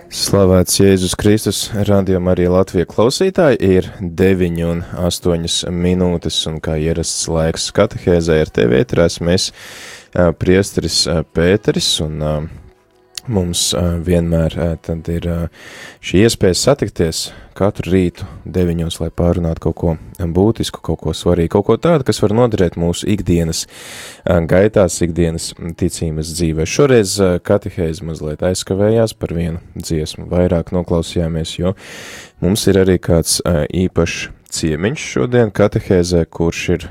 Slavēts Jēzus Kristus, radījuma arī Latvija klausītāji, ir 9:08 minūtes, un kā ierasts laiks katehēzē ar tevi ēterās, mēs priesteris Pēteris, un mums vienmēr tad ir šī iespēja satikties katru rītu 9, lai pārunātu kaut ko būtisku, kaut ko svarīgu, kaut ko tādu, kas var noderēt mūsu ikdienas gaitās, ikdienas ticības dzīvē. Šoreiz katehēze mazliet aizkavējās par vienu dziesmu, vairāk noklausījāmies, jo mums ir arī kāds īpašs ciemiņš šodien katehēzē, kurš ir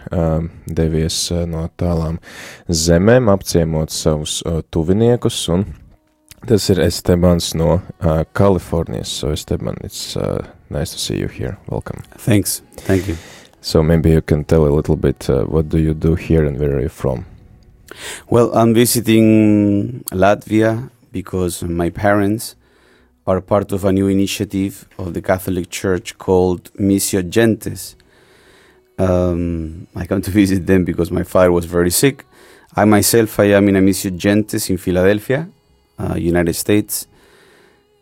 devies no tālām zemēm, apciemot savus tuviniekus, un tas ir Estebans no Kalifornijas. So Esteban, it's nice to see you here. Welcome. Thanks. Thank you. So maybe you can tell a little bit what do you do here and where are you from? Well, I'm visiting Latvia because my parents are part of a new initiative of the Catholic Church called Missio Gentes. I come to visit them because my father was very sick. I myself, I am in a Missio Gentes in Philadelphia, United States.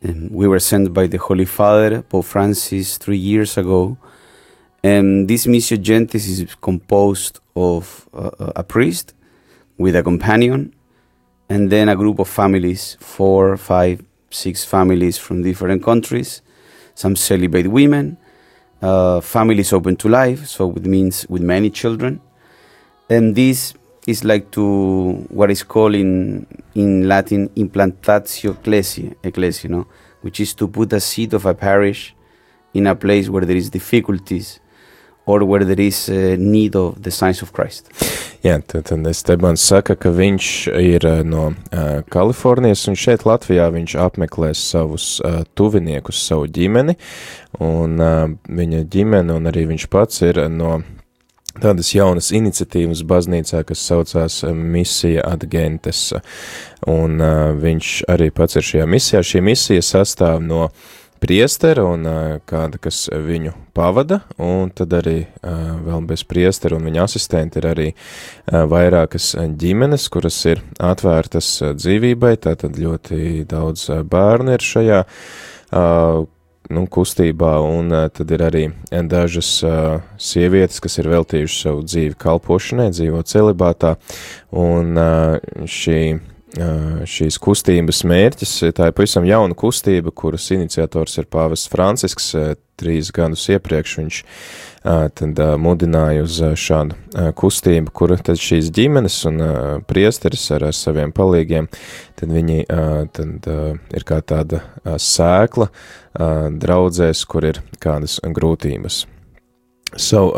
We were sent by the Holy Father, Pope Francis, 3 years ago. And this Missio Gentes is composed of a priest with a companion, and then a group of families, 4, 5, 6 families from different countries. Some celibate women, families open to life, so it means with many children. And this is like to what is called in Latin implantatio ecclesiae, no? Which is to put a seed of a parish in a place where there is difficulties or where there is need of the signs of Christ. Jā, tad Estebans saka, ka viņš ir no Kalifornijas, un šeit Latvijā viņš apmeklēs savus tuviniekus, savu ģimeni, un viņa ģimene un arī viņš pats ir no tādas jaunas iniciatīvas baznīcā, kas saucās Misija ad Gentes, un viņš arī pats ir šajā misijā. Šī misija sastāv no priestera un kāda, kas viņu pavada, un tad arī vēl bez priestera un viņa asistenti ir arī vairākas ģimenes, kuras ir atvērtas dzīvībai, tātad ļoti daudz bērnu ir šajā kustībā, un tad ir arī dažas sievietes, kas ir veltījušas savu dzīvi kalpošanai, dzīvo celibātā, un šīs kustības mērķis, tā ir pavisam jauna kustība, kuras iniciators ir pāvests Francisks, 3 gadus iepriekš viņš tad mudināja uz šādu kustību, kura tad šīs ģimenes un priesteris ar saviem palīgiem, tad viņi tad ir kā tāda sēkla draudzēs, kur ir kādas grūtības. So,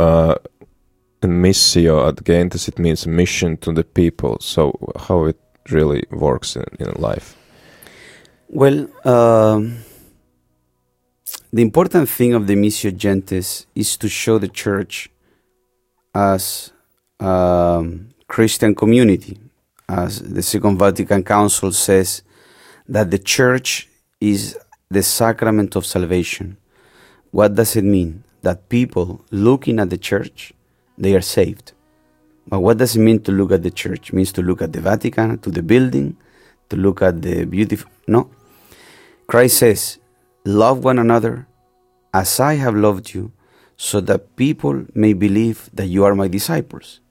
missio ad gentes, it means a mission to the people. So, how it really works in life? Well, the important thing of the Missio Gentes is to show the church as a Christian community. As the Second Vatican Council says, that the church is the sacrament of salvation. What does it mean? That people looking at the church, they are saved. But what does it mean to look at the church? It means to look at the Vatican, to the building, to look at the beautiful... No. Christ says, love one another as I have loved you, so that people may believe that you are my disciples.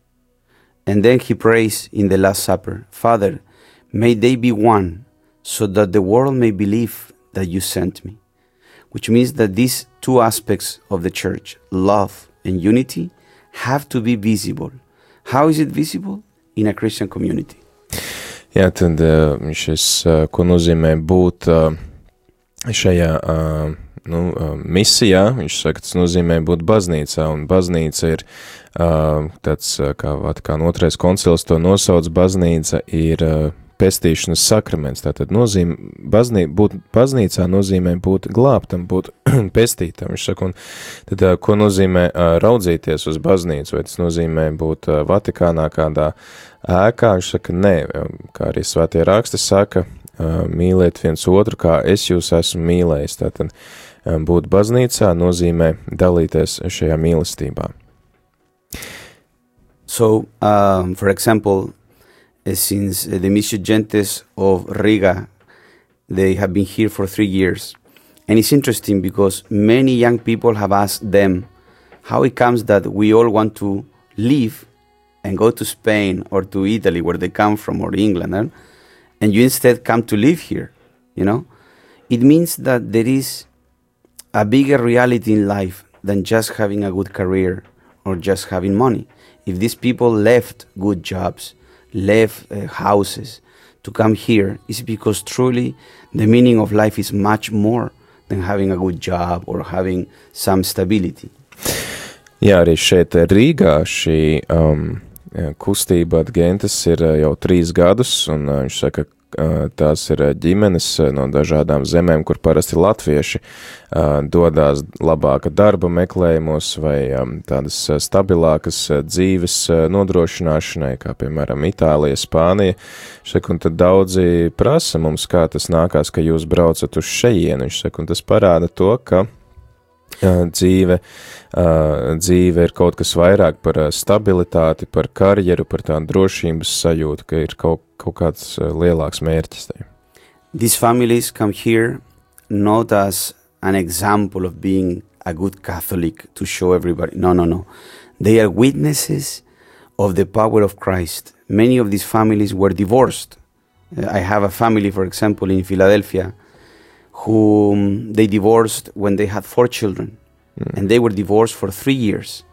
And then he prays in the Last Supper, Father, may they be one, so that the world may believe that you sent me. Which means that these 2 aspects of the church, love and unity, have to be visible. How is it visible? In a Christian community. Jā, tad šis, ko nozīmē būt šajā misijā, viņš saka, tas nozīmē būt baznīcā, un baznīca ir tāds, kā Vatikāna 2. koncils to nosauc, baznīca ir pestīšanas sakraments, tātad būt baznīcā nozīmē būt glābtam, būt pestītam, viņš saka, un tad, ko nozīmē raudzīties uz baznīcu, vai tas nozīmē būt Vatikānā kādā ēkā, viņš saka, nē, kā arī svētie raksti saka, mīliet viens otru, kā es jūs esmu mīlējis, tātad būt baznīcā nozīmē dalīties šajā mīlestībā. So, for example, since the Missio Gentes of Riga They have been here for 3 years. And it's interesting because many young people have asked them how it comes that we all want to leave and go to Spain or to Italy, where they come from, or England, and you instead come to live here, you know? It means that there is a bigger reality in life than just having a good career or just having money. If these people left good jobs, left houses to come here, it's because truly the meaning of life is much more than having a good job or having some stability. Jā, arī šeit Rīgā šī kustība Adgentis ir jau 3 gadus, un viņš saka, tās ir ģimenes no dažādām zemēm, kur parasti latvieši dodās labāka darba meklējumos vai tādas stabilākas dzīves nodrošināšanai, kā piemēram Itālija, Spānija. Saka, un tad daudzi prasa mums, kā tas nākās, ka jūs braucat uz šejienu. Viņš saka, un tas parāda to, ka dzīve ir kaut kas vairāk par stabilitāti, par karjeru, par tādu drošības sajūtu, ka ir kaut kāds lielāks mērķis. These families come here not as an example of being a good Catholic to show everybody. No. They are witnesses of the power of Christ. Many of these families were divorced. I have a family, for example, in Philadelphia, whom they divorced when they had 4 children, and they were divorced for 3 years.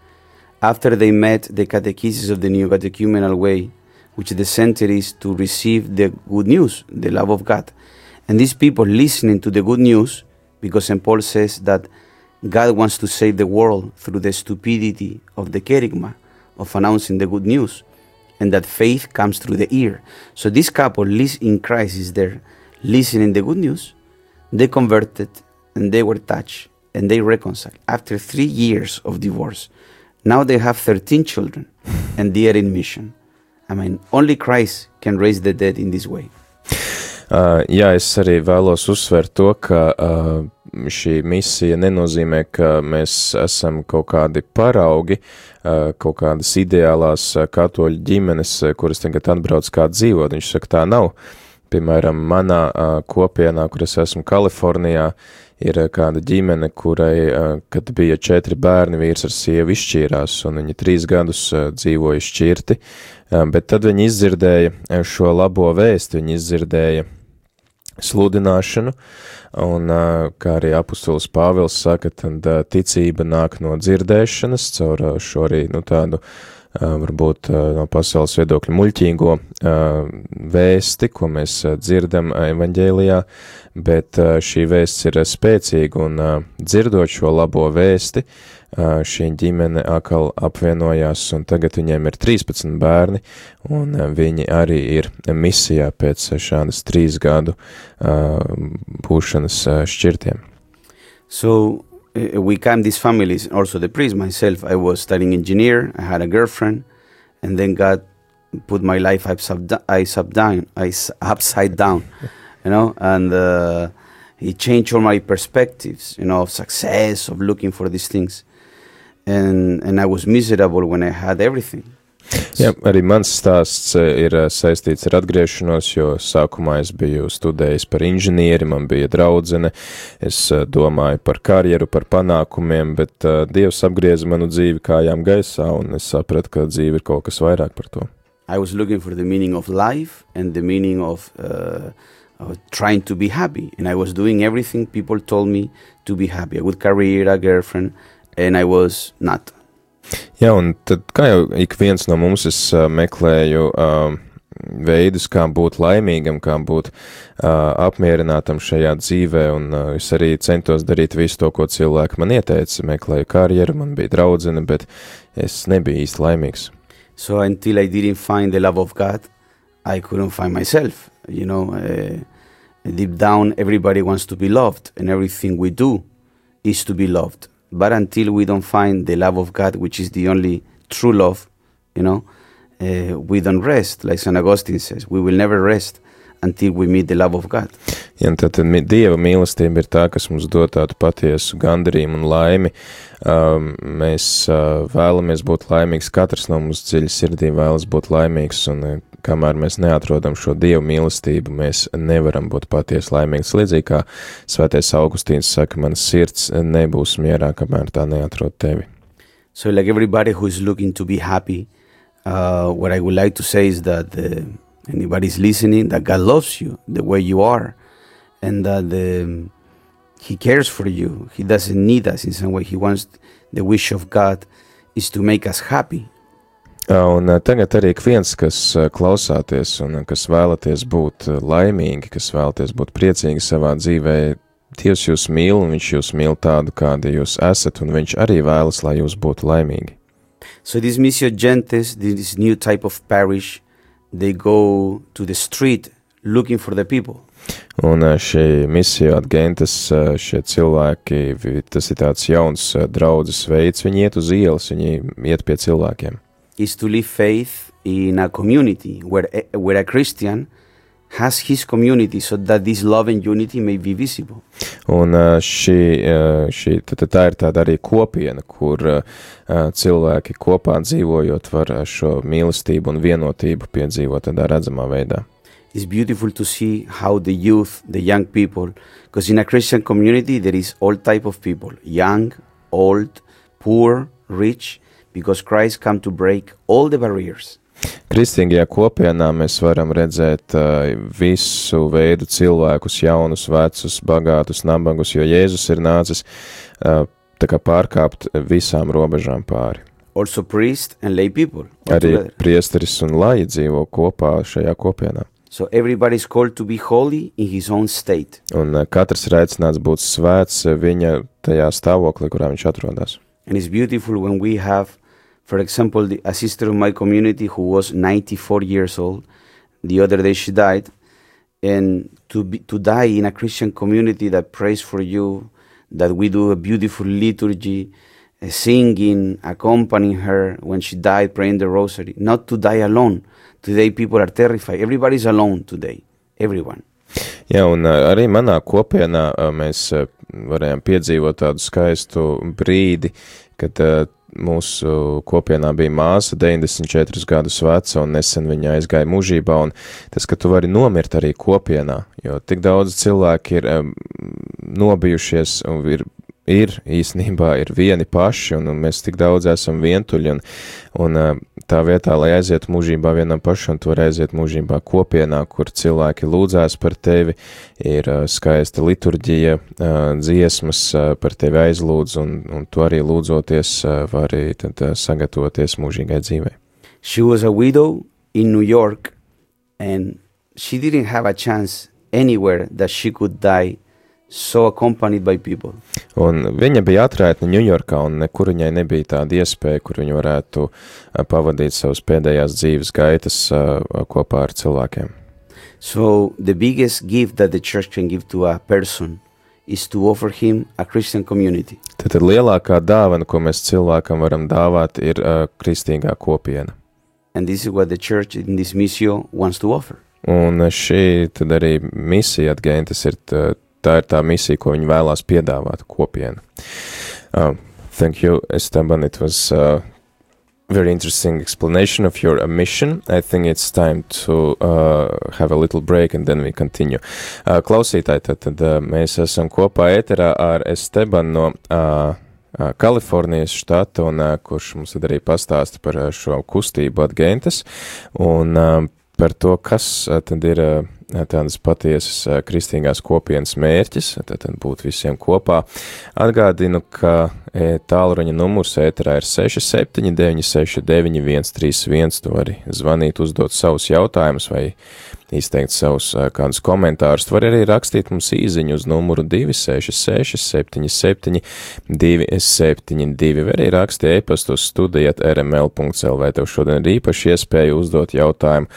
After they met the catechesis of the New Catechumenal Way, which the center is to receive the good news, the love of God. And these people listening to the good news, because St. Paul says that God wants to save the world through the stupidity of the kerygma, of announcing the good news, and that faith comes through the ear. So this couple in Christ is there, listening the good news. They converted, and they were touched, and they reconciled after 3 years of divorce. Now they have 13 children, and they are in mission. I mean, only Christ can raise the dead in this way. Jā, es arī vēlos uzsvērt to, ka šī misija nenozīmē, ka mēs esam kaut kādi paraugi, kaut kādas ideālās katoļu ģimenes, kuras tagad atbrauc kā dzīvot. Viņš saka, tā nav. Piemēram, manā kopienā, kur es esmu Kalifornijā, ir kāda ģimene, kurai, kad bija 4 bērni, vīrs ar sievu izšķīrās, un viņi 3 gadus dzīvoja šķirti, bet tad viņi izdzirdēja šo labo vēstu, viņi izdzirdēja sludināšanu, un, kā arī apustulis Pāvils saka, tad ticība nāk no dzirdēšanas, caur šo arī, tādu varbūt no pasaules viedokļa muļķīgo vēsti, ko mēs dzirdam evaņģēlijā, bet šī vēsts ir spēcīga, un dzirdot šo labo vēsti, šī ģimene atkal apvienojās, un tagad viņiem ir 13 bērni, un viņi arī ir misijā pēc šādas 3 gadu būšanas šķirtiem. So, we came these families, also the priest, myself, I was studying engineer, I had a girlfriend, and then God put my life upside down, you know, and He changed all my perspectives, you know, of success, of looking for these things, and I was miserable when I had everything. Jā, arī mans stāsts ir saistīts ar atgriešanos, jo sākumā es biju studējis par inženieri, man bija draudzene, es domāju par karjeru, par panākumiem, bet Dievs apgrieza manu dzīvi kājām gaisā, un es sapratu, ka dzīve ir kaut kas vairāk par to. I was looking for the meaning of life and the meaning of trying to be happy, and I was doing everything people told me to be happy, a good career, a girlfriend, and I was not. Jā, un tad, kā jau ik viens no mums, es meklēju veidus, kā būt laimīgam, kā būt apmierinātam šajā dzīvē, un es arī centos darīt visu to, ko cilvēki man ieteica. Meklēju karjeru, man bija draudzene, bet es nebiju īsti laimīgs. So until I didn't find the love of God, I couldn't find myself. You know, deep down, everybody wants to be loved, and everything we do is to be loved. But until we don't find the love of God, which is the only true love, you know, we don't rest. Like St. Augustine says, we will never rest until we meet the love of God. Ja, tad Dieva mīlestība ir tā, kas mums dod tādu patiesu gandarījumu un laimi. Mēs vēlamies būt laimīgs, katrs no mums dziļi sirdī vēlas būt laimīgs, un kamēr mēs neatrodam šo Dieva mīlestību, mēs nevaram būt patiesi laimīgs. Līdzīgi kā Svētais Augustīns saka, mana sirds nebūs mierā, kamēr tā neatrod tevi. So like everybody who is looking to be happy, what I would like to say is that anybody's listening, that God loves you the way you are, and that He cares for you. He doesn't need us in some way. He wants, the wish of God is to make us happy. Un tagad arī viens, kas klausāties un kas vēlaties būt laimīgi, kas vēlaties būt priecīgi savā dzīvē, Dievs jūs mīl, un viņš jūs mīl tādu, kādi jūs esat, un viņš arī vēlas, lai jūs būtu laimīgi. So this Missio Gentes, this new type of parish, they go to the street looking for the people. Un šī Missio Gentes, šie cilvēki, tas ir tāds jauns draudzes veids, viņi iet uz ielas, viņi iet pie cilvēkiem. Is to live faith in a community where a Christian has his community so that this love and unity may be visible. Un tā ir tāda arī kopiena, kur cilvēki kopā dzīvojot var šo mīlestību un vienotību piedzīvot tādā redzamā veidā. It's beautiful to see how the youth, the young people, because in a Christian community there is all type of people, young, old, poor, rich, because Christ come to break all the barriers. Kristīgajā kopienā mēs varam redzēt visu veidu cilvēkus, jaunus, vecus, bagātus, nabagus, jo Jēzus ir nācis tā kā pārkāpt visām robežām pāri. Also priests and lay people. Arī priesteris un laji dzīvo kopā šajā kopienā. So everybody is called to be holy in his own state. Un katrs ir aicināts būt svēts viņa tajā stāvoklī, kurā viņš atrodas. And it's beautiful when we have, for example, a sister of my community who was 94 years old. The other day she died. And to die in a Christian community that prays for you, that we do a beautiful liturgy, singing, accompanying her when she died, praying the rosary. Not to die alone. Today people are terrified. Everybody's alone today. Everyone. Jā, un arī manā kopienā mēs varējām piedzīvot tādu skaistu brīdi, kad mūsu kopienā bija māsa 94 gadus veca, un nesen viņa aizgāja mūžībā, un tas, ka tu vari nomirt arī kopienā, jo tik daudz cilvēki ir nobijušies un ir īstenībā ir vieni paši, un mēs tik daudz esam vientuļi, un tā vietā, lai aiziet mūžībā vienam pašam, tu vari aiziet mūžībā kopienā, kur cilvēki lūdzās par tevi, ir skaista liturģija, dziesmas par tevi aizlūdz, un tu arī lūdzoties vari tad sagatavoties mūžīgai dzīvei. She was a widow in New York, and she didn't have a chance anywhere that she could die so accompanied by people. Un viņa bija atraitne Ņujorkā, un nekur viņai nebija tāda iespēja, kur viņa varētu pavadīt savas pēdējās dzīves gaitas kopā ar cilvēkiem. So the biggest gift that the church can give to a person is to offer him a Christian community. Tad lielākā dāvana, ko mēs cilvēkam varam dāvāt, ir kristīgā kopiena. And this is what the church in this Missio wants to offer. Un šī tad arī Missio Gentes ir tā ir tā misija, ko viņi vēlās piedāvāt kopienu. Thank you, Esteban. It was a very interesting explanation of your mission. I think it's time to have a little break and then we continue. Klausītāji, tad mēs esam kopā ēterā ar Esteban no Kalifornijas štata, un kurš mums tad arī pastāsta par šo kustību Gentes un par to, kas tad ir tādas patiesas kristīgās kopienas mērķis, tad būt visiem kopā. Atgādinu, ka tālruņa numurs ēterā ir 67969131, tu vari zvanīt, uzdot savus jautājumus vai izteikt savus kādus komentārus. Tu vari arī rakstīt mums īziņu uz numuru 266 77 272, vai arī raksti e-pastu uz studija@rml.lv. Tev šodien ir īpaši iespēja uzdot jautājumu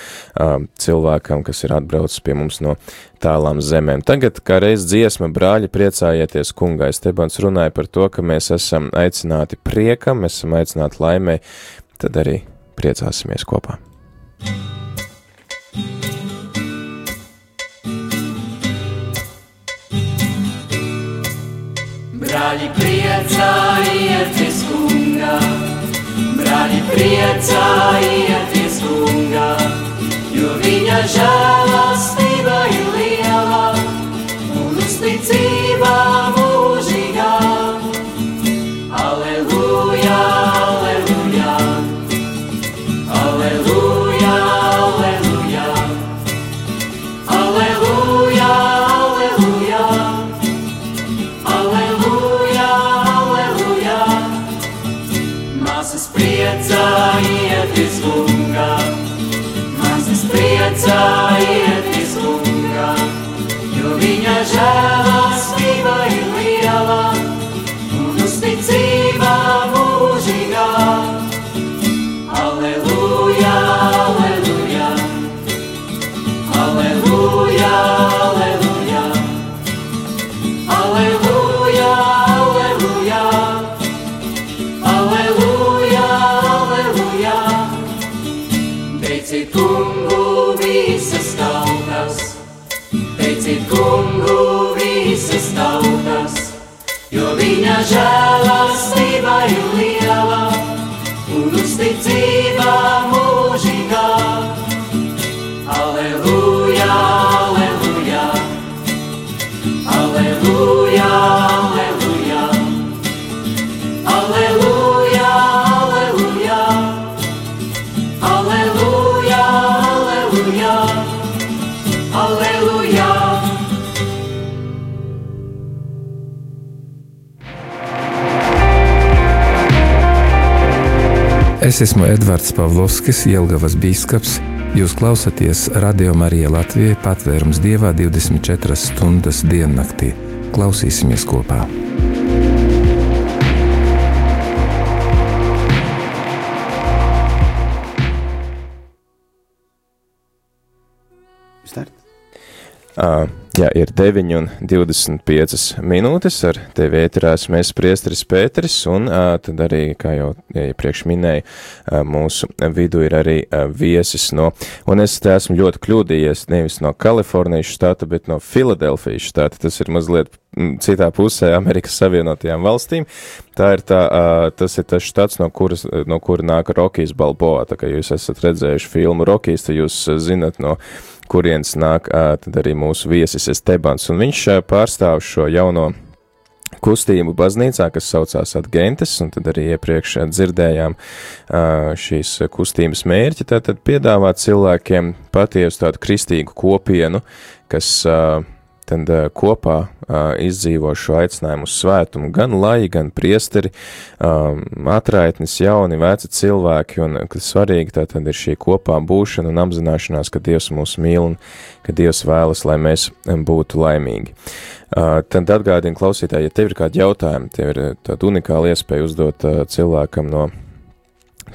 cilvēkam, kas ir atbraucis pie mums no tālām zemēm. Tagad, kā reiz dziesma, brāļi, priecājieties kungā. Estebans runāja par to, ka mēs esam aicināti priekam, mēs esam aicināti laimē, tad arī priecāsimies kopā. Brāļi, priecājieties kungā, brāļi, priecājieties kungā, jo viņa žēlastība ir liela un uzticība mūžīgā. Aleluja, aleluja, aleluja, aleluja, aleluja, aleluja, aleluja, aleluja. Māsas, priecājieties kungā, māsas, priecājieties kungā, jo viņa žēlastība ir liela un uzticība mūžīgā. Aleluja, aleluja, aleluja, aleluja, aleluja, aleluja, aleluja, aleluja. Teiciet kungu visas tautas, teiciet kungu visas tautas, jo viņa žēlastība ir liela un uzticība mūžīgā. Aleluja, aleluja, aleluja, aleluja, aleluja, aleluja, aleluja, aleluja, aleluja. Es esmu Edvards Pavlovskis, Jelgavas bīskaps. Jūs klausaties Radio Marija Latvijai patvērums Dievā 24 stundas diennaktī. Klausīsimies kopā! Start. Jā, ir 9:25 minūtes, ar tevi ēterās mēs priesteris Pēteris, un tad arī, kā jau iepriekš minēju, mūsu vidu ir arī viesis no, un es te esmu ļoti kļūdījies, nevis no Kalifornijas štata, bet no Filadelfijas štata, tas ir mazliet citā pusē Amerikas Savienotajām valstīm. Tas ir tas štats, no kura nāk Rokijs Balboa, tā kā jūs esat redzējuši filmu Rokijs, tad jūs zinat, no kurienes nāk tad arī mūsu viesis Estebans, un viņš pārstāv šo jauno kustību baznīcā, kas saucās Adgentes, un tad arī iepriekš dzirdējām šīs kustības mērķi, tātad piedāvāt cilvēkiem patiesu tādu kristīgu kopienu, kas tad kopā izdzīvo šo aicinājumu uz svētumu, gan laji, gan priesteri, atraitnis, jauni, veci cilvēki, un kas svarīgi, tātad ir šī kopā būšana un apzināšanās, ka Dievs mūs mīl un ka Dievs vēlas, lai mēs būtu laimīgi. Tad atgādinu klausītāji, ja tev ir kādi jautājumi, tev ir tāda unikāla iespēja uzdot cilvēkam no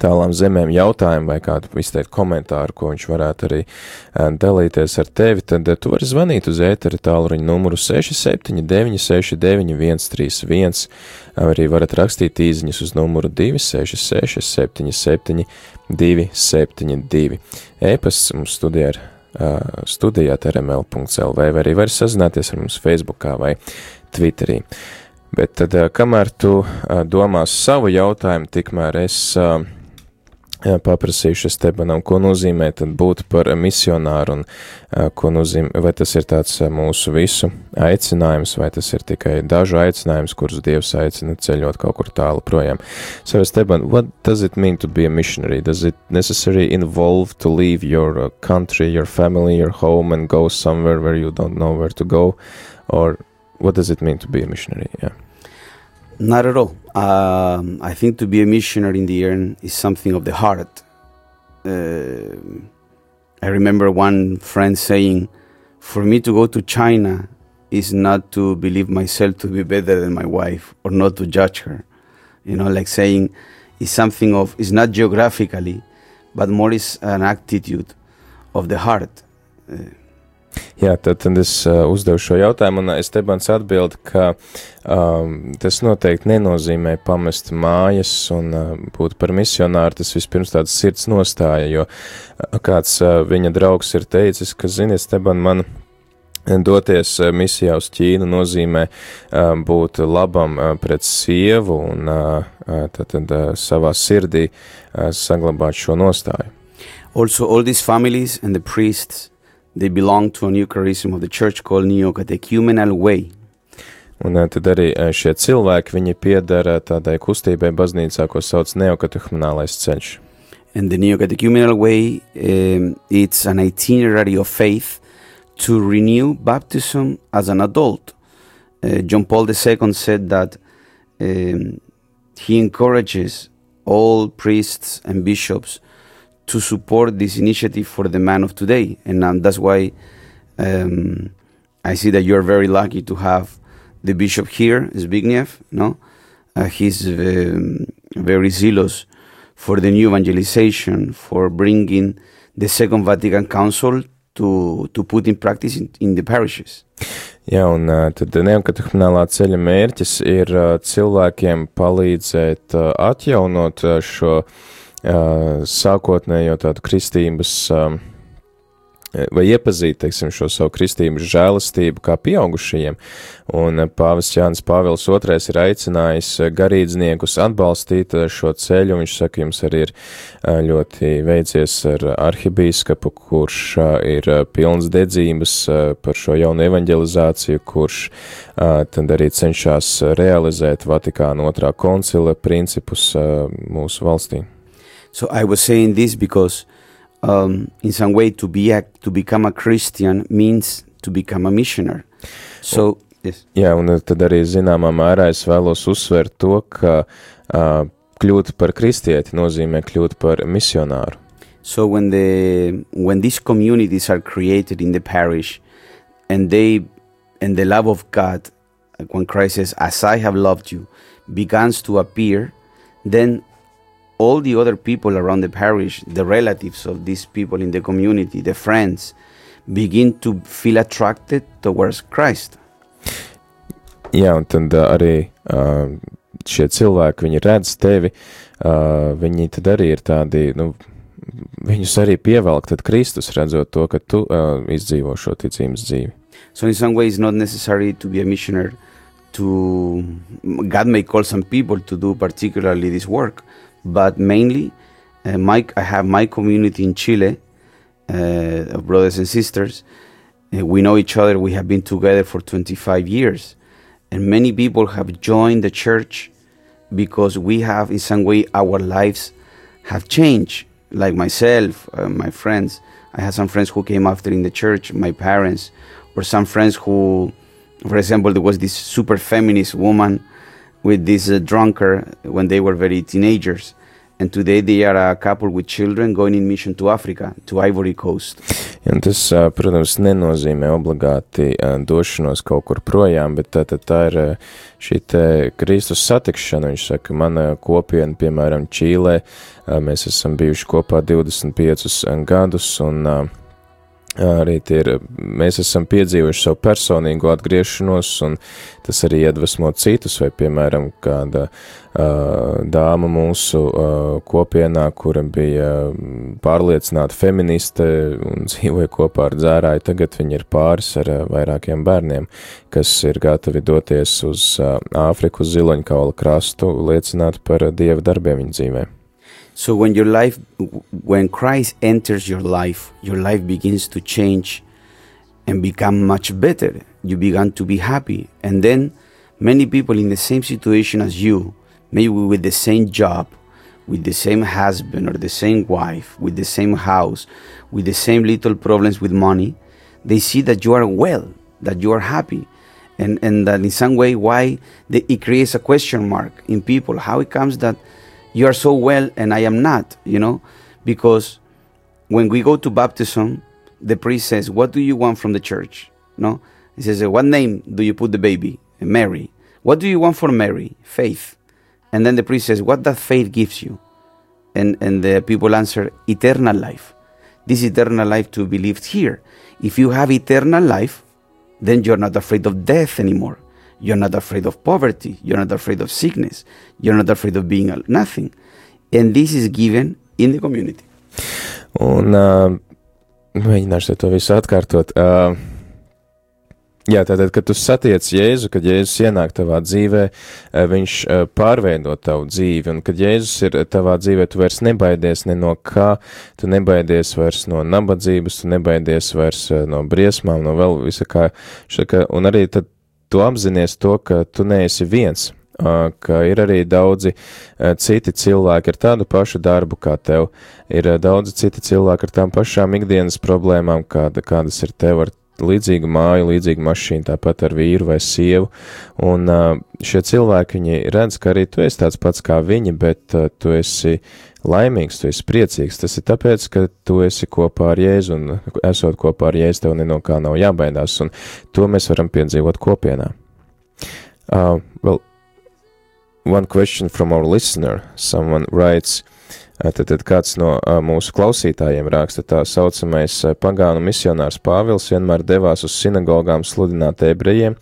tālām zemēm jautājumu vai kādu izteikt komentāru, ko viņš varētu arī dalīties ar tevi, tad tu vari zvanīt uz ētera tālruņa numuru 679 69 131, arī varat rakstīt īziņas uz numuru 266 77 272. E-pasts mums studijā ir studijā@rml.lv, vai arī var sazināties ar mums Facebookā vai Twitterī. Bet tad, kamēr tu domās savu jautājumu, tikmēr es paprasīšu Estebanam, ko nozīmē tad būt par misionāru un ko nozīmē, vai tas ir tāds mūsu visu aicinājums, vai tas ir tikai dažu aicinājums, kurus Dievs aicina ceļot kaut kur tālu projām. So, Esteban, what does it mean to be a missionary? Does it necessarily involve to leave your country, your family, your home and go somewhere where you don't know where to go? Or what does it mean to be a missionary? Yeah. Not at all. I think to be a missionary in the end is something of the heart. I remember one friend saying, for me to go to China is not to believe myself to be better than my wife or not to judge her. You know, like saying it's something of, it's not geographically, but more is an attitude of the heart. Jā, tad es uzdevu šo jautājumu, un Estebans atbild, ka tas noteikti nenozīmē pamest mājas un būt par misionāru, tas vispirms tāds sirds nostāja, jo kāds viņa draugs ir teicis, ka, zini, Esteban, man Doties misijā uz Ķīnu nozīmē būt labam pret sievu un tad savā sirdī saglabāt šo nostāju. Also, all these families and the priests, they belong to a new charism of the church called Neo-Catechumenal Way. Un tad arī šie cilvēki, viņi piedara tādai kustībai baznīcā, ko sauc neokatehumenālais ceļš. And the Neo-Catechumenal Way, it's an itinerary of faith to renew baptism as an adult. John Paul II said that he encourages all priests and bishops to support this initiative for the man of today. And that's why I see that you're very lucky to have the bishop here, Zbigniew, no? He's very zealous for the new evangelization, for bringing the Second Vatican Council to put in practice in the parishes. Jā, un tad neokatehumenālā ceļa mērķis ir cilvēkiem palīdzēt atjaunot šo sākotnējo tādu kristības vai iepazīt, teiksim, šo savu kristības žēlastību kā pieaugušajiem. Un pāvests Jānis Pāvils II ir aicinājis garīdzniekus atbalstīt šo ceļu. Viņš saka, jums arī ir ļoti veicies ar arhibīskapu, kurš ir pilns dedzības par šo jaunu evanģelizāciju, kurš tad arī cenšas realizēt Vatikāna II koncila principus mūsu valstī. So I was saying this because in some way to become a Christian means to become a missionary. So, yes. Jā, un tad arī zināmā mērā es vēlos uzsvērt to, ka kļūt par kristieti nozīmē kļūt par misionāru. So when these communities are created in the parish and the love of God, when Christ says, as I have loved you, begins to appear, then all the other people around the parish, the relatives of these people in the community, the friends, begin to feel attracted towards Christ. Jā, un tad arī šie cilvēki, viņi redz tevi, viņi tad arī ir tādi, viņus arī pievelk tad Kristus, redzot to, ka tu izdzīvo šo ticības dzīvi. So in some ways, not necessary to be a missionary. God may call some people to do particularly this work, but mainly, I have my community in Chile of brothers and sisters. We know each other. We have been together for 25 years. And many people have joined the church because we have, in some way, our lives have changed. Like myself, my friends. I had some friends who came after in the church, my parents, or some friends who, for example, there was this super feminist woman with this drunkard when they were very teenagers. And today they are a couple with children going in mission to Africa, to Ivory Coast. Un tas, protams, nenozīmē obligāti došanos kaut kur projām, bet tā ir šī te Kristus satikšana. Viņš saka, mana kopiena, piemēram, Čīlē, mēs esam bijuši kopā 25 gadus, un arī mēs esam piedzīvojuši savu personīgo atgriešanos, un tas arī iedvesmo citus, vai, piemēram, kāda dāma mūsu kopienā, kura bija pārliecināta feministe un dzīvoja kopā ar dzērāju, tagad viņa ir pāris ar vairākiem bērniem, kas ir gatavi doties uz Āfriku, uz Ziloņkaula krastu, liecināt par Dieva darbiem viņa dzīvē. So when Christ enters your life begins to change and become much better. You begin to be happy. And then many people in the same situation as you, maybe with the same job, with the same husband or the same wife, with the same house, with the same little problems with money, they see that you are well, that you are happy. And that in some way, it creates a question mark in people. How it comes that you are so well and I am not, because when we go to baptism, the priest says, what do you want from the church? No? He says, what name do you put the baby? Mary. What do you want for Mary? Faith. And then the priest says, what that faith gives you? And the people answer, eternal life. This eternal life to be lived here. If you have eternal life, then you're not afraid of death anymore. You're not afraid of poverty. You're not afraid of sickness. You're not afraid of being nothing. And this is given in the community. Un mēģināšu to visu atkārtot. Jā, tātad, kad tu satiec Jēzu, kad Jēzus ienāk tavā dzīvē, viņš pārveido tavu dzīvi, un kad Jēzus ir tavā dzīvē, tu vairs nebaidies ne no kā, tu nebaidies vairs no nabadzības, tu nebaidies vairs no briesmām, no vēl visa kā, un arī tad tu apzinies to, ka tu neesi viens, ka ir arī daudzi citi cilvēki ar tādu pašu darbu kā tev, ir daudzi citi cilvēki ar tām pašām ikdienas problēmām, kādas ir tev ar līdzīgu māju, līdzīgu mašīnu, tāpat ar vīru vai sievu, un šie cilvēki, viņi redz, ka arī tu esi tāds pats kā viņi, bet tu esi laimīgs, tu esi priecīgs, tas ir tāpēc, ka tu esi kopā ar Jēzu, un esot kopā ar Jēzu, tev ne no kā nav jābaidās, un to mēs varam piedzīvot kopienā. Well, one question from our listener, someone writes, Tad kāds no mūsu klausītājiem raksta, tā saucamais pagānu misionārs Pāvils vienmēr devās uz sinagogām sludināt ebrejiem,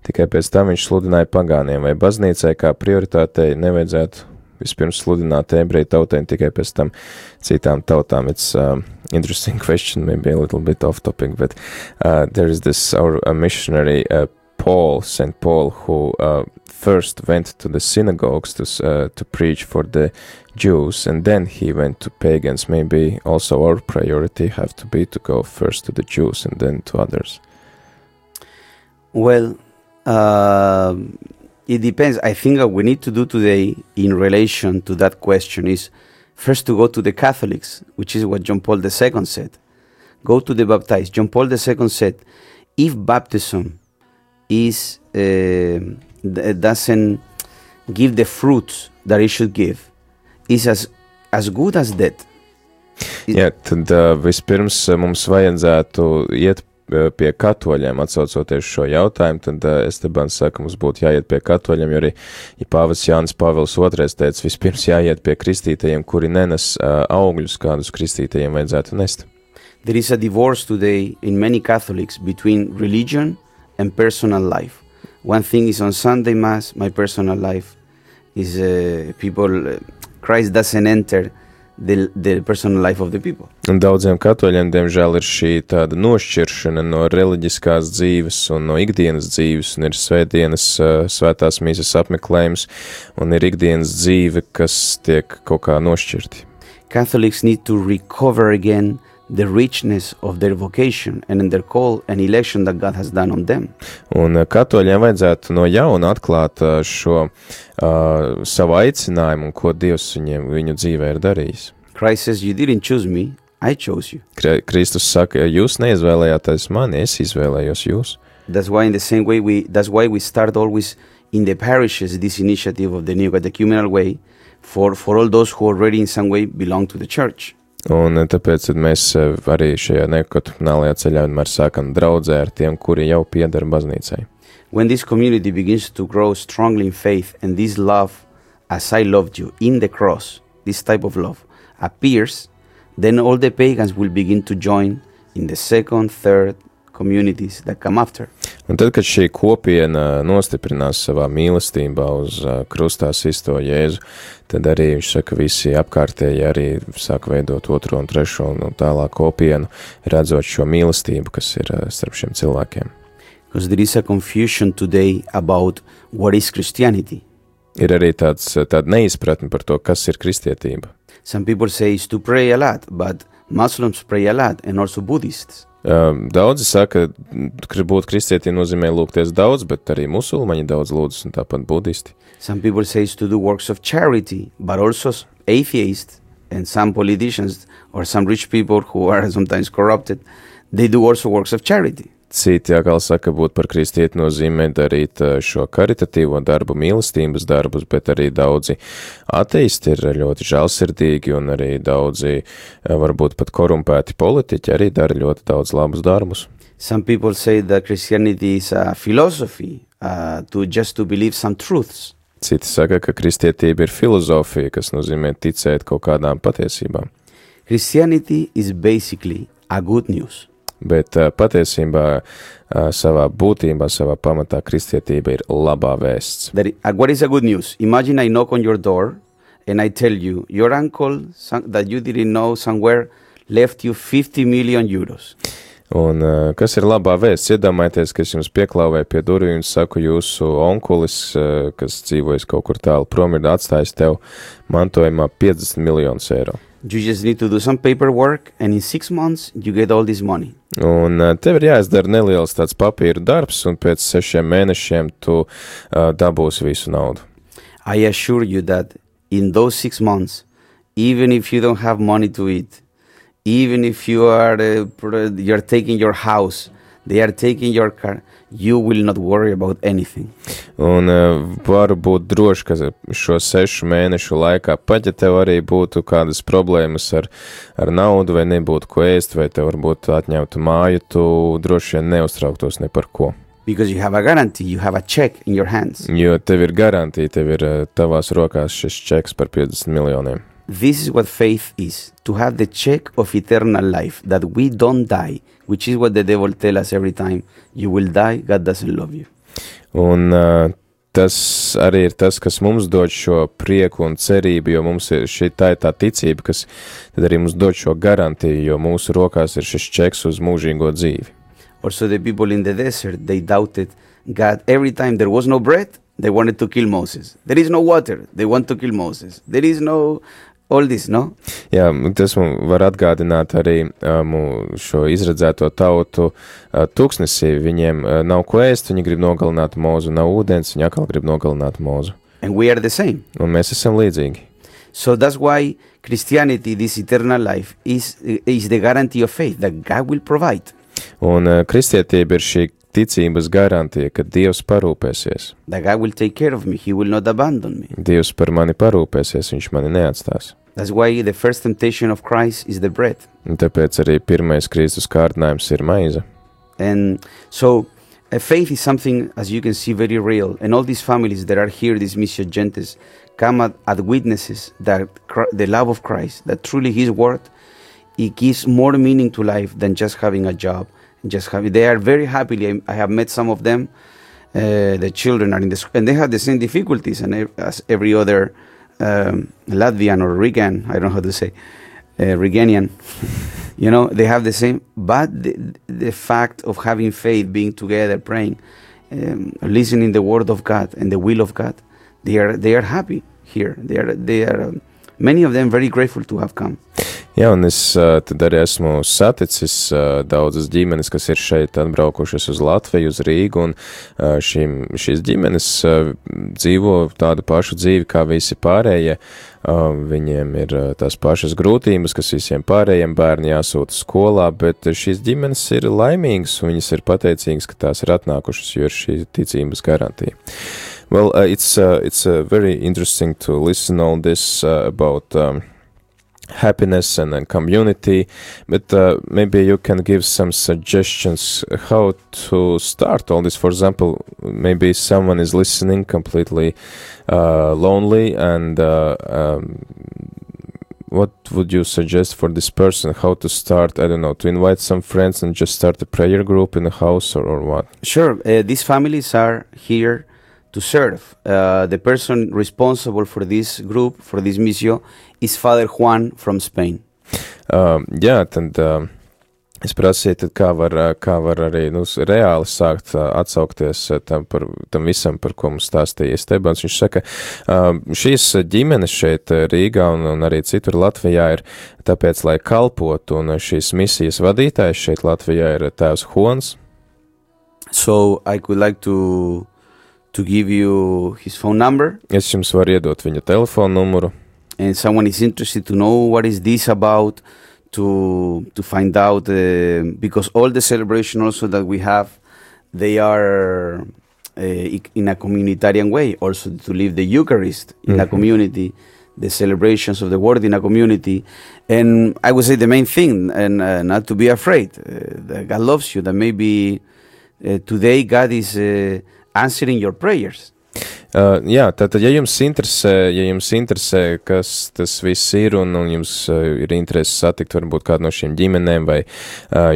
tikai pēc tam viņš sludināja pagāniem, vai baznīcai kā prioritātei nevajadzētu vispirms sludināt ebreju tautēm, tikai pēc tam citām tautām. It's interesting question, maybe a little bit off topic, but there is this our missionary Paul, St. Paul, who first went to the synagogues to preach for the Jews, and then he went to pagans. Maybe also our priority have to be to go first to the Jews and then to others. Well, it depends. I think what we need to do today in relation to that question is first to go to the Catholics, which is what John Paul II said. Go to the baptized. John Paul II said, if baptism is doesn't give the fruits that it should give, is as good as dead. Jā, tad vispirms mums vajadzētu iet pie katoļiem, atsaucoties šo jautājumu, tad Estebans saka, mums būtu jāiet pie katoļiem, jo arī, ja Pāvests Jānis Pāvils II teica, vispirms jāiet pie kristītajiem, kuri nenes augļus, kādus kristītajiem vajadzētu nest. There is a divorce today in many Catholics between religion and personal life. One thing is on Sunday Mass, my personal life is Christ doesn't enter the personal life of the people. Un daudziem katoļiem, diemžēl, ir šī tāda nošķiršana no reliģiskās dzīves un no ikdienas dzīves, un ir svētdienas, svētās mīsas apmeklējums, un ir ikdienas dzīve, kas tiek kaut kā nošķirti. Catholics need to recover again the richness of their vocation and their call and election that God has done on them. Un katoļiem vajadzētu no jauna atklāt šo savu aicinājumu un ko Dievs viņu dzīvē ir darījis. Christ says, you didn't choose me, I chose you. Kristus saka, jūs neizvēlējāties mani, es izvēlējos jūs. That's why in the same way that's why we start always in the parishes this initiative of the Neocatechumenal Way for all those who already in some way belong to the church. Un tāpēc mēs arī šajā neokatechumenālajā ceļā vienmēr sākam draudzē ar tiem, kuri jau pieder baznīcai. When this community begins to grow strongly in faith and this love, as I loved you, in the cross, this type of love, appears, then all the pagans will begin to join in the second, third communities that come after. Un tad, kad šī kopiena nostiprinās savā mīlestībā uz krustā sisto Jēzu, tad arī viņš saka, visi apkārtēji arī sāk veidot otro un trešo un tālāk kopienu, redzot šo mīlestību, kas ir starp šiem cilvēkiem. Because there is a confusion today about what is Christianity. Ir arī tāda neizpratne par to, kas ir kristietība. Some people say it's to pray a lot, but Muslims pray a lot and also Buddhists. Daudzi saka, ka būt kristietiem nozīmē lūgties daudz, bet arī musulmaņi daudz lūdzas un tāpat budisti. Some people say it's to do works of charity, but also atheists and some politicians or some rich people who are sometimes corrupted, they do also works of charity. Citi atkal saka, būt par kristieti nozīmē darīt šo karitatīvo darbu, mīlestības darbus, bet arī daudzi ateisti ir ļoti žēlsirdīgi un arī daudzi, varbūt pat korumpēti politiķi arī dara ļoti daudz labus darbus. Some people say that Christianity is a philosophy to believe some truths. Citi saka, ka kristietība ir filozofija, kas nozīmē ticēt kaut kādām patiesībām. Christianity is basically a good news. Bet patiesībā savā būtībā, savā pamatā kristietība ir labā vēsts. What is a good news? Imagine I knock on your door and I tell you, your uncle that you didn't know somewhere left you 50 million euros. Un kas ir labā vēsts? Iedomājieties, ka es jums pieklāvēju pie durvīm un saku, jūsu onkulis, kas dzīvojas kaut kur tālu prom, ir atstājis tev mantojumā 50 miljonus eiro. You just need to do some paperwork, and in 6 months, you get all this money. Un tev ir jāizdara neliels tāds papīra darbs, un pēc 6 mēnešiem tu dabūsi visu naudu. I assure you that in those 6 months, even if you don't have money to eat, even if you're taking your house, they are taking your car, you will not worry about anything. Un varu būt droši, ka šo 6 mēnešu laikā, pat ja tev arī būtu kādas problēmas ar naudu, vai nebūtu ko ēst, vai tev varbūt atņemtu māju, tu droši vien neuztrauktos ne par ko. Because you have a guarantee, you have a check in your hands. Jo tev ir garantija, tev ir tavās rokās šis čeks par 50 miljoniem. This is what faith is, to have the check of eternal life, that we don't die, which is what the devil tells us every time. You will die, God doesn't love you. Un tas arī ir tas, kas mums dod šo prieku un cerību, jo mums ir tā ticība, kas tad arī mums dod šo garantiju, jo mūsu rokās ir šis čeks uz mūžīgo dzīvi. Also the people in the desert, they doubted God. Every time there was no bread, they wanted to kill Moses. There is no water, they want to kill Moses. There is no all this, no? Jā, tas mums var atgādināt arī šo izredzēto tautu tūkstnesī. Viņiem nav ko ēst, viņi grib nogalināt Mozu, nav ūdens, viņi atkal grib nogalināt Mozu. And we are the same. Un mēs esam līdzīgi. So that's why Christianity, this eternal life, is the guarantee of faith, that God will provide. Un kristietība ir šī ticības garantija, ka Dievs parūpēsies. That God will take care of me, He will not abandon me. Dievs par mani parūpēsies, viņš mani neatstās. That's why the first temptation of Christ is the bread. Un tāpēc arī pirmais Kristus kārdinājums ir maize. And so faith is something, as you can see, very real. And all these families that are here, these Missio Gentes, come at witnesses that the love of Christ, that truly His word, it gives more meaning to life than just having a job. They are very happy. I have met some of them. The children are in the school, and they have the same difficulties as every other Latvian or Rigan. I don't know how to say Riganian. You know, they have the same. But the fact of having faith, being together, praying, listening the word of God and the will of God, they are happy here. They are many of them very grateful to have come. Jā, un es tad arī esmu saticis daudzas ģimenes, kas ir šeit atbraukušas uz Latviju, uz Rīgu, un šīs ģimenes dzīvo tādu pašu dzīvi kā visi pārējie. Viņiem ir tās pašas grūtības, kas visiem pārējiem, bērni jāsūta skolā, bet šīs ģimenes ir laimīgas, un viņas ir pateicīgas, ka tās ir atnākušas, jo ir šī ticības garantija. Well, it's very interesting to listen all this about happiness and community, but maybe you can give some suggestions how to start all this. For example, maybe someone is listening completely lonely, and what would you suggest for this person? How to start? I don't know, to invite some friends and just start a prayer group in the house, or what? Sure. These families are here to serve. The person responsible for this group, for this missio, is Father Juan from Spain. Jā, tad es prasīju, tad kā var arī reāli sākt atsaukties tam visam, par ko mums stāstīja Stebans. Viņš saka, šīs ģimenes šeit Rīgā un arī citur Latvijā ir tāpēc, lai kalpotu, un šīs misijas vadītājs šeit Latvijā ir tēvs Juans. So I would like to give you his phone number. Es jums varu iedot viņa telefonu numuru. And someone is interested to know what is this about, to find out, because all the celebration also that we have, they are in a communitarian way, also to live the Eucharist in a community, the celebrations of the word in a community. And I would say the main thing, and not to be afraid, that God loves you, that maybe today God is answering your prayers. Jā, tātad, ja jums interesē, kas tas viss ir, un jums ir interesi satikt varbūt kādu no šīm ģimenēm, vai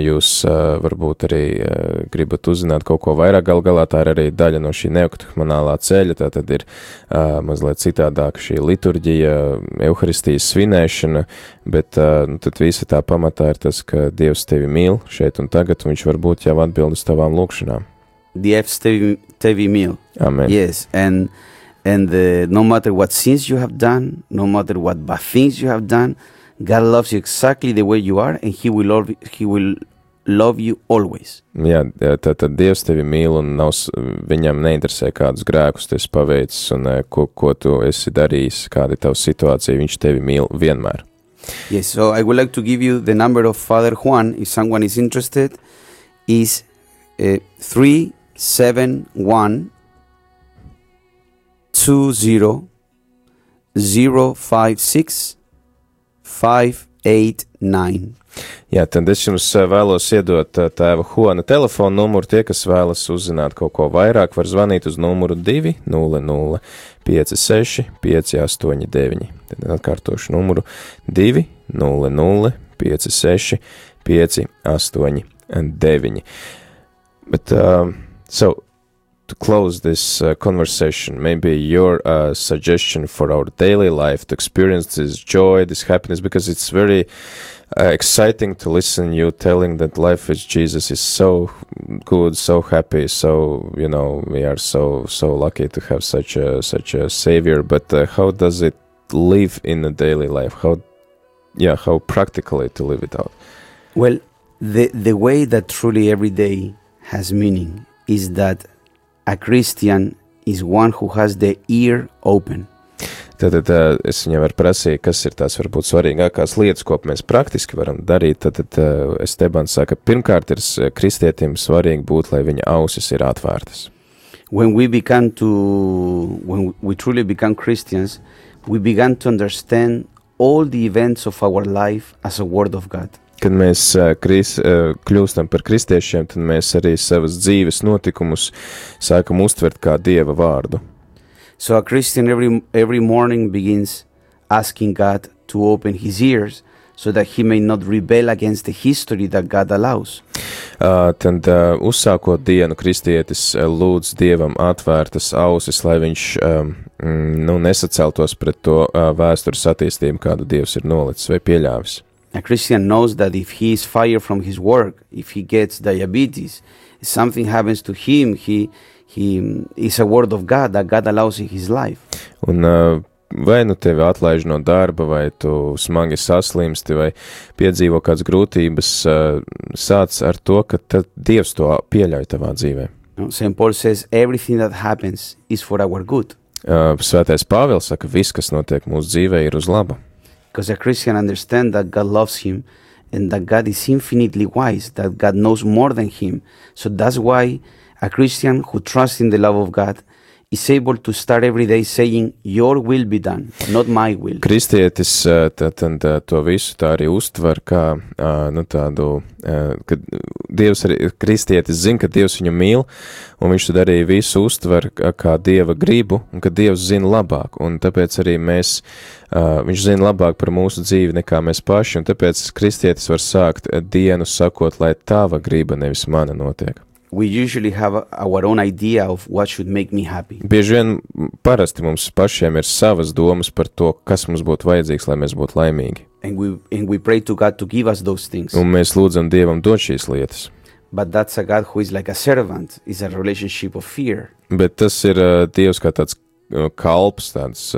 jūs varbūt arī gribat uzzināt kaut ko vairāk, gal galā tā ir arī daļa no šī neokatehumenālā ceļa, tātad ir mazliet citādāk šī liturģija, euharistijas svinēšana, bet tad visa tā pamatā ir tas, ka Dievs tevi mīl šeit un tagad, un viņš varbūt jau atbild uz tavām lūkšanām. Dievs tevi mīl. Amen. Yes, and no matter what sins you have done, no matter what bad things you have done, God loves you exactly the way you are, and He will love you always. Jā, tad Dievs tevi mīl, un viņam neinteresē kādus grēkus tu esi paveicis, un ko tu esi darījis, kāda ir tava situācija, viņš tevi mīl vienmēr. Yes, so I would like to give you the number of Father Juan, if someone is interested, is 371 20 056 589. Jā, tad es jums vēlos iedot tēva Juana telefonu numuru. Tie, kas vēlas uzzināt kaut ko vairāk, var zvanīt uz numuru 200 56 589. Tad atkārtošu numuru 200 56 589. But so to close this conversation, maybe your suggestion for our daily life to experience this joy, this happiness, because it's very exciting to listen you telling that life with Jesus is so good, so happy, so we are so lucky to have such a savior. But how does it live in the daily life? How practically to live it out? Well, the way that truly every day has meaning is that a Christian is one who has the ear open. Tad es viņam varu prasīt, kas ir tās varbūt svarīgākās lietas, ko mēs praktiski varam darīt. Tad Estebans saka, pirmkārt ir kristietim svarīgi būt, lai viņa ausis ir atvērtas. When we truly become Christians, we began to understand all the events of our life as a word of God. Kad mēs kļūstam par kristiešiem, tad mēs arī savas dzīves notikumus sākam uztvert kā Dieva vārdu. So a Christian every morning begins asking God to open his ears so that he may not rebel against the history that God allows. Tad uzsākot dienu, kristietis lūdz Dievam atvērtas ausis, lai viņš nesaceltos pret to vēstures attīstību, kādu Dievs ir nolicis vai pieļāvis. A Christian knows that if he is fired from his work, if he gets diabetes, if something happens to him, he is a word of God that God allows in his life. Un vai nu tevi atlaiž no darba, vai tu smagi saslimsti, vai piedzīvo kādas grūtības, sāc ar to, ka tad Dievs to pieļauj tavā dzīvē. St. Paul says everything that happens is for our good. Svētais Pāvils saka, viss, kas notiek mūsu dzīvē, ir uz laba. Because a Christian understands that God loves him and that God is infinitely wise, that God knows more than him. So that's why a Christian who trusts in the love of God is able to start every day saying, your will be done, not my will. Kristietis to visu tā arī uztver kā tādu, ka Dievs arī, kristietis zina, ka Dievs viņu mīl, un viņš tad arī visu uztver kā Dieva gribu, un ka Dievs zina labāk, un tāpēc arī viņš zina labāk par mūsu dzīvi nekā mēs paši, un tāpēc kristietis var sākt dienu sakot, lai tava griba, nevis mana notiek. We usually have our own idea of what should make me happy. Bieži vien parasti mums pašiem ir savas domas par to, kas mums būtu vajadzīgs, lai mēs būtu laimīgi. And we pray to God to give us those things. Un mēs lūdzam Dievam dot šīs lietas. But that's a God who is like a servant, is a relationship of fear. Bet tas ir Dievs kā tāds kalps, tāds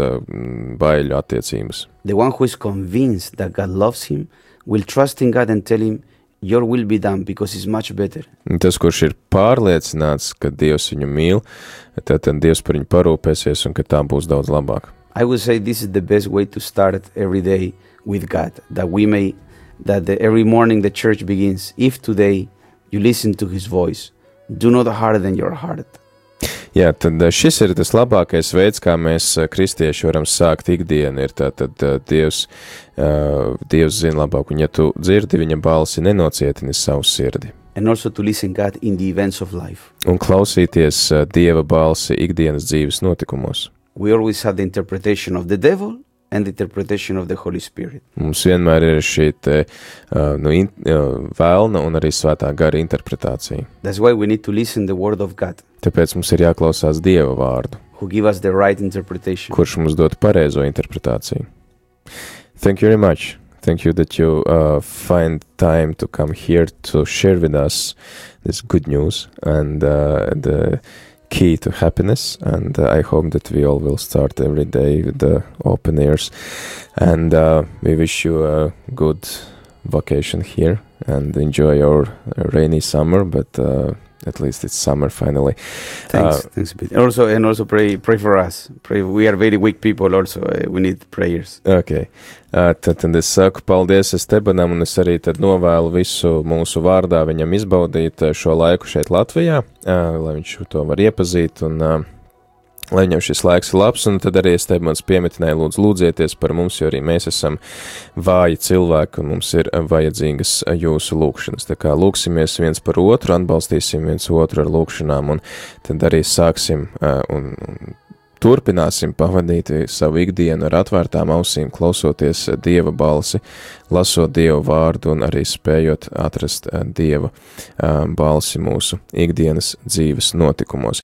baiļu attiecības. The one who is convinced that God loves him will trust in God and tell him, your will be done, because it's much better. Tas, kurš ir pārliecināts, ka Dievs viņu mīl, tad Dievs par viņu parūpēsies un ka tā būs daudz labāk. I would say this is the best way to start every day with God, every morning the church begins. If today you listen to his voice, do not harden your heart. Jā, tad šis ir tas labākais veids, kā mēs kristieši varam sākt ikdienu, ir tātad Dievs zina labāk, un ja tu dzirdi viņa balsi, nenocietini savu sirdi. and also to listen God in the events of life. Un klausīties Dieva balsi ikdienas dzīves notikumos. We always have the interpretation of the devil and the interpretation of the Holy Spirit. Mums vienmēr ir šī te, vēlna un arī svētā gara interpretācija. That's why we need to listen the word of God, Tāpēc mums ir jāklausās Dieva vārdu, who give us the right interpretation. kurš mums dod pareizo interpretāciju. Thank you very much. Thank you that you find time to come here to share with us this good news and the key to happiness. And I hope that we all will start every day with the open ears. And we wish you a good vacation here and enjoy your rainy summer, but at least it's summer finally. Thanks a bit. Also pray for us. Pray. We are very weak people also. We need prayers. Okay. Tad es saku paldies Estebanam un es arī tad novēlu visu mūsu vārdā viņam izbaudīt šo laiku šeit Latvijā, lai viņš to var iepazīt un lai viņam šis laiks ir labs, un tad arī Estebans piemetināja lūdzieties par mums, jo arī mēs esam vāji cilvēki un mums ir vajadzīgas jūsu lūkšanas. Tā kā lūksimies viens par otru, atbalstīsim viens otru ar lūkšanām un tad arī sāksim un turpināsim pavadīt savu ikdienu ar atvērtām ausīm, klausoties Dieva balsi, lasot Dieva vārdu un arī spējot atrast Dieva balsi mūsu ikdienas dzīves notikumos.